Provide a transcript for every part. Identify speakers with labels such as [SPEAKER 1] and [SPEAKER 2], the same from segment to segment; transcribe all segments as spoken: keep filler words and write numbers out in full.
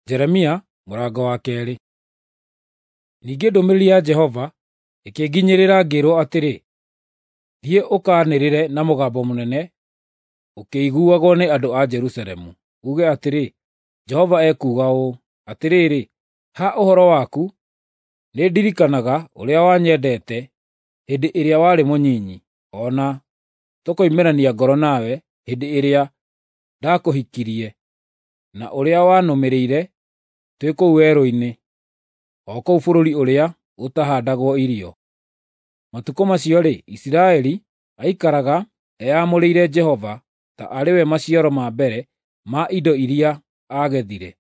[SPEAKER 1] Jeremia mũrango wa keerĩ. Ningĩ ndũmĩrĩri ya Jehova ĩkĩnginyĩrĩra ngĩĩrwo atĩrĩ, “Thiĩ ũkaanĩrĩre na mũgambo mũnene ũkĩiguagwo nĩ andũ a Jerusalemu, uuge atĩrĩ, ‘Jehova ekuuga ũũ: Atĩrĩrĩ, ha ũhoro waku, nĩndirikanaga ũrĩa wanyendete hĩndĩ ĩrĩa warĩ mũnyinyi, o na tũkoimĩrania ngoro nawe hĩndĩ ĩrĩa ndaakũhikirie, na ũrĩa wanũmĩrĩire twĩ kũu werũ-inĩ, o kũu bũrũri ũrĩa ũtahaandagwo irio. Matukũ macio-rĩ, Isiraeli aikaraga eyamũrĩire Jehova ta arĩ we maciaro ma mbere ma indo iria aagethire.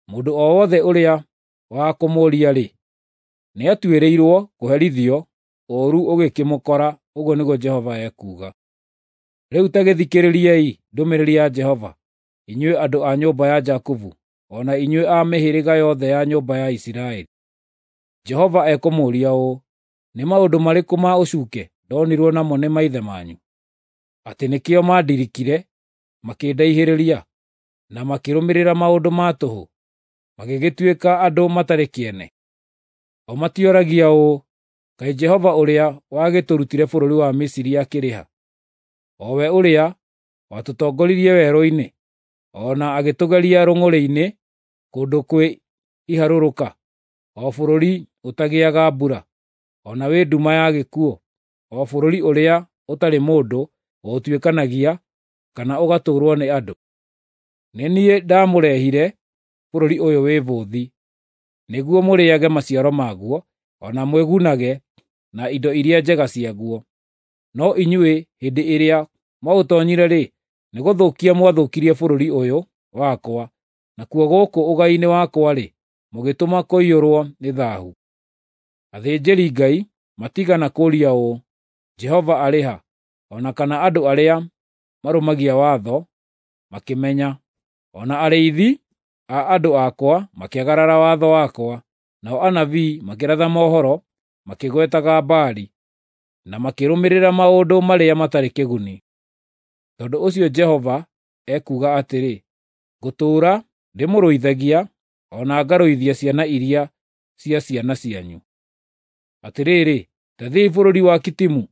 [SPEAKER 1] Mũndũ o wothe ũrĩa wa kũmũũria-rĩ, nĩatuĩrĩirwo kũherithio ũũru ũgĩkĩmũkora, ũguo nĩguo Jehova ekuuga. Rĩu ta gĩthikĩrĩriei ndũmĩrĩri ya Jehova, inyuĩ andũ a nyũmba ya Jakubu, o na inyuĩ a mĩhĩrĩga yothe ya nyũmba ya Isiraeli. Jehova ekũmũũria ũũ: Nĩ maũndũ marĩkũ ma ũcuuke ndonirwo namo nĩ maithe manyu, atĩ nĩkĩo mandirikire makĩndaihĩrĩria, na makĩrũmĩrĩra maũndũ ma tũhũ, magĩgĩtuĩka andũ matarĩ kĩene? O matioragia ũũ, ‘Kaĩ Jehova ũrĩa wagĩtũrutire bũrũri wa Misiri akĩrĩ ha, o we ũrĩa watũtongoririe werũ-inĩ, o na agĩtũgeria rũng'ũrĩ-inĩ kũndũ kwĩ iharũrũka, o bũrũri ũtagĩaga mbura, o na wĩ nduma ya gĩkuũ, o bũrũri ũrĩa ũtarĩ mũndũ ũũtuĩkanagia kana ũgatũũrwo nĩ andũ? Nĩ niĩ ndamũrehire bũrũri ũyũ wĩ bũthi, nĩguo mũrĩĩage maciaro maguo, o na mwĩgunage na indo iria njega ciaguo. No inyuĩ hĩndĩ ĩrĩa mwaũtoonyire-rĩ, nĩgũthũkia mwathũkirie bũrũri ũyũ wakwa, nakuo gũkũ ũgai-inĩ wakwa-rĩ, mũgĩtũma kũiyũrwo nĩ thaahu. Athĩnjĩri-Ngai matiigana kũũria ũũ, ‘Jehova arĩ ha?’ O na kana andũ arĩa marũmagia watho makĩmenya. O na arĩithi a andũ akwa makĩagarara watho wakwa, nao anabii makĩratha mohoro makĩgwetaga Baali, na makĩrũmĩrĩra maũndũ marĩa matarĩ kĩguni. Tondũ ũcio Jehova ekuuga atĩrĩ, ngũtũũra ndĩmũrũithagia o na ngarũithia ciana iria cia ciana cianyu. Atĩrĩrĩ, ta thiĩi bũrũri wa Kitimu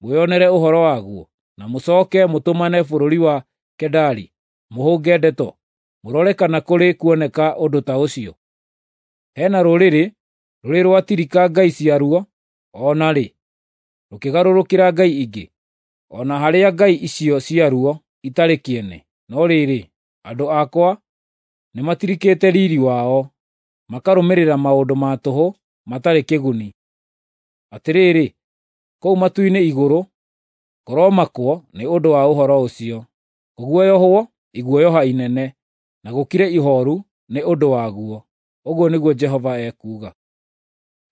[SPEAKER 1] mwĩonere ũhoro waguo, na mũcooke mũtũmane bũrũri wa Kedari mũhũnge ndeto, mũrore kana kũrĩ kuoneka ũndũ ta ũcio. He na rũrĩrĩ rũrĩ rwatirika ngai ciaruo o na rĩ, rũkĩgarũrũkĩra ngai ingĩ, o na harĩa ngai icio ciaruo itarĩ kĩene. No rĩrĩ, andũ akwa nĩmatirikĩte riiri wao, makarũmĩrĩra maũndũ ma tũhũ matarĩ kĩguni. Atĩrĩrĩ, kũu matu-inĩ igũrũ kũromakwo nĩ ũndũ wa ũhoro ũcio, kũguoyohwo iguoyoha inene, na gũkire ihooru nĩ ũndũ waguo, ũguo nĩguo Jehova ekuuga.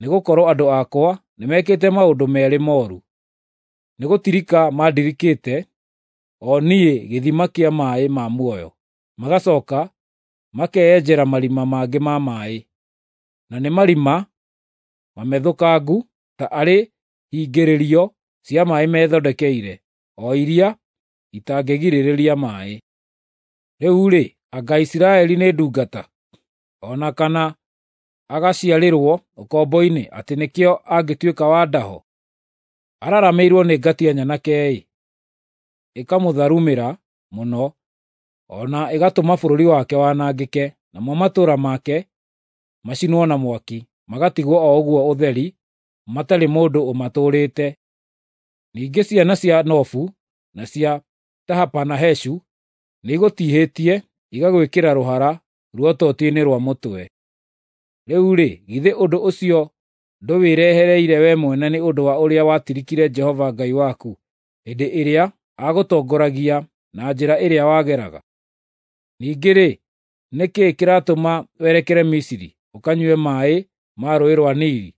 [SPEAKER 1] Nĩgũkorwo andũ akwa nĩmekĩte maũndũ meerĩ mooru: Nĩgũtirika mandirikĩte, o niĩ gĩthima kĩa maaĩ ma muoyo, magacooka makeyenjera marima mangĩ ma maaĩ, na nĩ marima mamethũkangu ta arĩ hingĩrĩrio cia maaĩ methondekeire, o iria itangĩgirĩrĩria maaĩ. Rĩu-rĩ, anga Isiraeli nĩ ndungata, o na kana agaciarĩrwo ũkombo-inĩ atĩ nĩkĩo angĩtuĩka wa ndaho? Araramĩirwo nĩ ngatia nyanake-ĩ, ĩkamũtharumĩra mũno, o na ĩgatũma bũrũri wake wanangĩke, namo matũũra make macinwo na mwaki, magatigwo o ũguo ũtheri, matarĩ mũndũ ũmatũũrĩte. Ningĩ ciana cia Nofu na cia Tahapanaheshu nĩigũtiihĩtie igagwĩkĩra rũhara ruototia-inĩ rwa mũtwe. Rĩu-rĩ, githĩ ũndũ ũcio ndũwĩrehereire wee mwene nĩ ũndũ wa ũrĩa watirikire Jehova Ngai waku hĩndĩ ĩrĩa aagũtongoragia na njĩra ĩrĩa wageraga? Ningĩ-rĩ, nĩ kĩĩ kĩratũma werekere Misiri ũkanyue maaĩ ma Rũũĩ rwa Nili,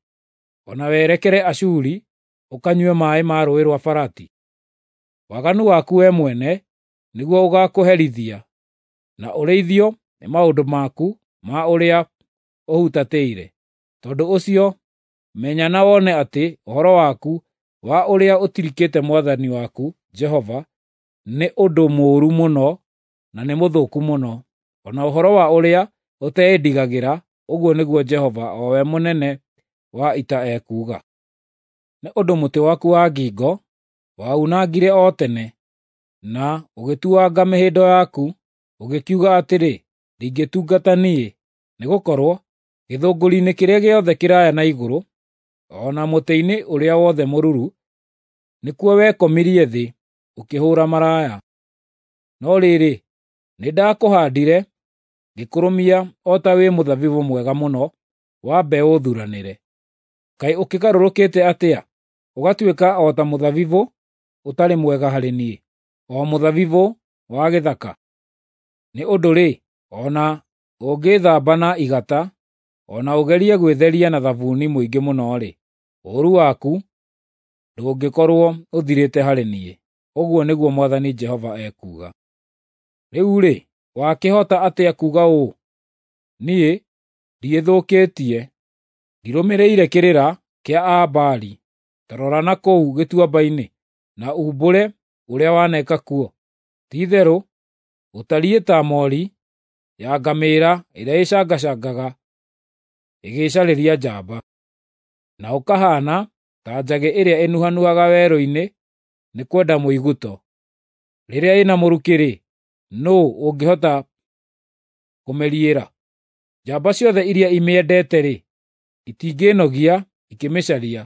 [SPEAKER 1] o na werekere Ashuri ũkanyue maaĩ ma Rũũĩ rwa Farati? Waganu waku wee mwene nĩguo ũgaakũherithia, na ũrĩithio nĩ maũndũ maku ma ũrĩa ũhutatĩire. Tondũ ũcio menya na wone atĩ ũhoro waku wa ũrĩa ũtirikĩte Mwathani waku Jehova nĩ ũndũ mũũru mũno na nĩ mũthũku mũno, o na ũhoro wa ũrĩa ũteĩndigagĩra, ũguo nĩguo Jehova, o we Mũnene wa Ita ekuuga. Nĩ ũndũ mũtĩ waku wa ngingo waunangire o tene, na ũgĩtuanga mĩhĩndo yaku, ũgĩkiuga atĩrĩ, ‘Ndingĩtungata niĩ,’ nĩgũkorwo gĩthũngũri-inĩ kĩrĩa gĩothe kĩraaya na igũrũ, o na mũtĩ-inĩ ũrĩa wothe mũruru, nĩkuo wekomirie thĩ ũkĩhũũra maraya. No rĩrĩ, nĩndakũhaandire, ngĩkũrũmia o ta wĩ mũthabibũ mwega mũno wa mbeũ thuranĩre. Kaĩ ũkĩgarũrũkĩte atĩa, ũgatuĩka o ta mũthabibũ ũtarĩ mwega harĩ niĩ, o mũthabibũ wa gĩthaka? Nĩ ũndũ-rĩ, o na ũngĩĩthamba na igata, o na ũgerie gwĩtheria na thabuni mũingĩ mũno-rĩ, ũũru waku ndũngĩkorwo ũthirĩte harĩ niĩ, ũguo nĩguo Mwathani Jehova ekuuga. Rĩu-rĩ, wakĩhota atĩa kuuga ũũ, ‘Niĩ ndiĩthũkĩtie, ndirũmĩrĩire kĩrĩra kĩa Aa-Baali’? Ta rora na kũu gĩtuamba-inĩ, na uumbũre ũrĩa waneka kuo. Ti-itherũ ũtariĩ ta moori ya ngamĩĩra ĩrĩa ĩcangacangaga ĩgĩcarĩria njamba, na ũkahaana ta njagĩ ĩrĩa ĩnuhanuhaga werũ-inĩ nĩ kwenda mũĩgũto. Rĩrĩa ĩna mũrukĩ-rĩ, nũũ ũngĩhota kũmĩriĩra? Njamba ciothe iria imĩendete-rĩ, itingĩĩnogia ikĩmĩcaria,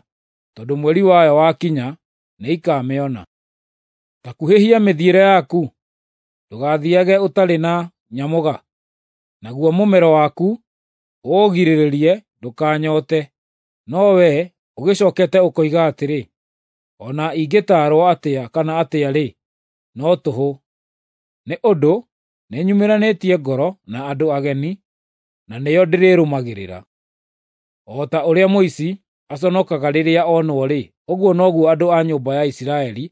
[SPEAKER 1] tondũ mweri wayo wakinya nĩikamĩona. Ta kuhĩhia mĩthiĩre yaku, ndũgathiiage ũtarĩ na nyamũga, naguo mũmero waku ũũgirĩrĩrie ndũkanyoote. No wee ũgĩcookete ũkoiga atĩrĩ, ‘O na ingĩtaarwo atĩa kana atĩa-rĩ, no tũhũ, nĩ ũndũ nĩnyumĩranĩtie ngoro na andũ ageni, na nĩo ndĩrĩrũmagĩrĩra.’ O ta ũrĩa mũici aconokaga rĩrĩa onwo-rĩ, ũguo noguo andũ a nyũmba ya Isiraeli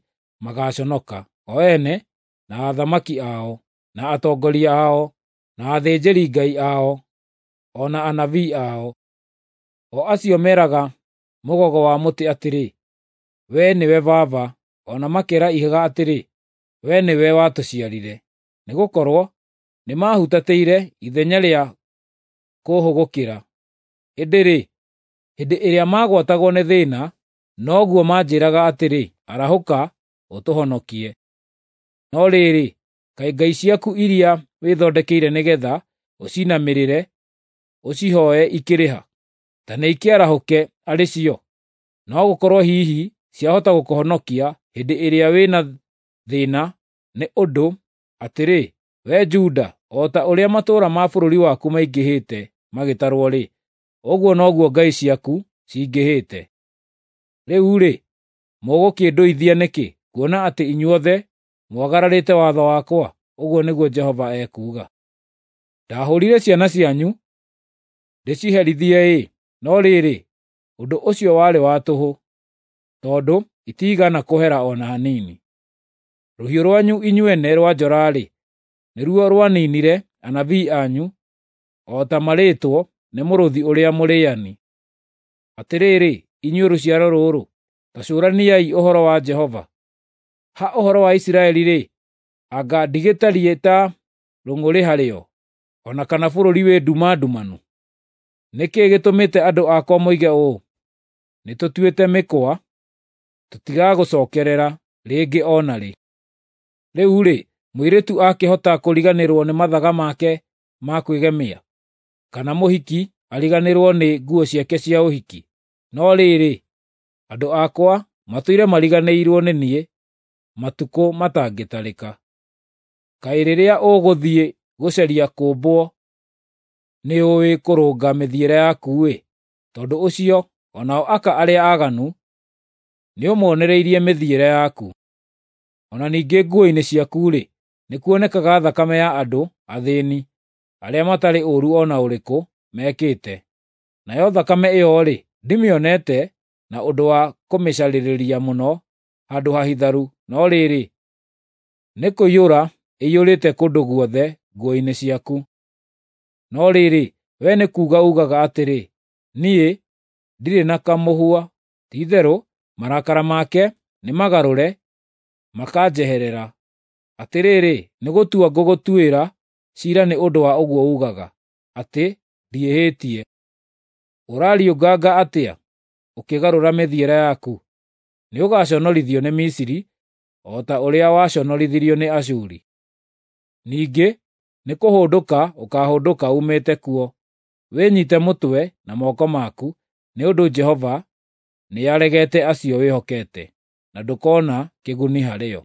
[SPEAKER 1] magaaconoka, o ene, na athamaki ao, na atongoria ao, na athĩnjĩri-Ngai ao, o na anabii ao, o acio meraga mũgogo wa mũtĩ atĩrĩ, ‘Wee nĩwe baba,’ o na makeera ihiga atĩrĩ, ‘Wee nĩwe watũciarire.’ Nĩgũkorwo nĩmahutatĩire ithenya rĩa kũũhũgũkĩra. Ĩndĩ-rĩ, hĩndĩ ĩrĩa maagwatagwo nĩ thĩĩna, noguo manjĩĩraga atĩrĩ, ‘Arahũka ũtũhonokie!’ No rĩrĩ, kaĩ ngai ciaku iria wĩthondekeire nĩgeetha ũciinamĩrĩre ũcihooe ikĩrĩ ha? Ta nĩikĩarahũke arĩ cio! No gũkorwo hihi ciahota gũkũhonokia hĩndĩ ĩrĩa wĩ na thĩĩna, nĩ ũndũ atĩrĩ, wee Juda, o ta ũrĩa matũũra ma bũrũri waku maingĩhĩte magĩtarwo-rĩ, ũguo noguo ngai ciaku cingĩhĩte. Rĩu-rĩ, mũgũkĩndũithia nĩkĩ, kuona atĩ inyuothe mwagararĩte watho wakwa?” Ũguo nĩguo Jehova ekuuga. “Ndahũũrire ciana cianyu ndĩciherithie-ĩ, no rĩrĩ, ũndũ ũcio warĩ wa tũhũ, tondũ itiigana kũhera o na hanini. Rũhiũ rwanyu inyuene rwa njora-rĩ, nĩruo rwaniinire anabii anyu, o ta marĩĩtwo nĩ mũrũũthi ũrĩa mũrĩĩani. Atĩrĩrĩ, inyuĩ rũciaro rũrũ, ta cũraniai ũhoro wa Jehova. Ha ũhoro wa Isiraeli-rĩ, anga ndigĩtariĩ ta rũng'ũrĩ harĩo, o na kana bũrũri wĩ nduma ndumanu? Nĩ kĩĩ gĩtũmĩte andũ akwa moige ũũ, ‘Nĩtũtuĩte mĩkwa, tũtigagũcookerera rĩngĩ o na rĩ’? Rĩu-rĩ, mũirĩtu akĩhota kũriganĩrwo nĩ mathaga make ma kwĩgemia, kana mũhiki ariganĩrwo nĩ nguo ciake cia ũhiki? No rĩrĩ, andũ akwa matũire mariganĩirwo nĩ niĩ matukũ matangĩtarĩka. Kaĩ rĩrĩa ũgũthiĩ gũcaria kũũmbwo nĩũũĩ kũrũnga mĩthiĩre yaku-ĩ! Tondũ ũcio o nao aka arĩa aaganu nĩũmonereirie mĩthiĩre yaku. O na ningĩ nguo-inĩ ciaku-rĩ, nĩkuonekaga thakame ya andũ athĩĩni arĩa matarĩ ũũru o na ũrĩkũ mekĩte. Nayo thakame ĩyo-rĩ, ndimĩonete na ũndũ wa kũmĩcarĩria mũno handũ hahitharu, no rĩrĩ, nĩkũiyũra ĩiyũrĩte kũndũ guothe nguo-inĩ ciaku. No rĩrĩ, wee nĩ kuuga uugaga atĩrĩ, ‘Niĩ ndirĩ na kamũhwa. Ti-itherũ marakara make nĩmagarũre makanjeherera. Atĩrĩrĩ, nĩgũtua ngũgũtuĩra ciira nĩ ũndũ wa ũguo uugaga, atĩ ndiĩhĩtie. Ũrariũnganga atĩa, ũkĩgarũra mĩthiĩre yaku? Nĩũgaconorithio nĩ Misiri, o ta ũrĩa waconorithirio nĩ Ashuri. Ningĩ nĩkũhũndũka ũkaahũndũka uumĩte kuo, wĩnyiite mũtwe na moko maku, nĩ ũndũ Jehova nĩaregete acio wĩhokete, na ndũkona kĩguni harĩo.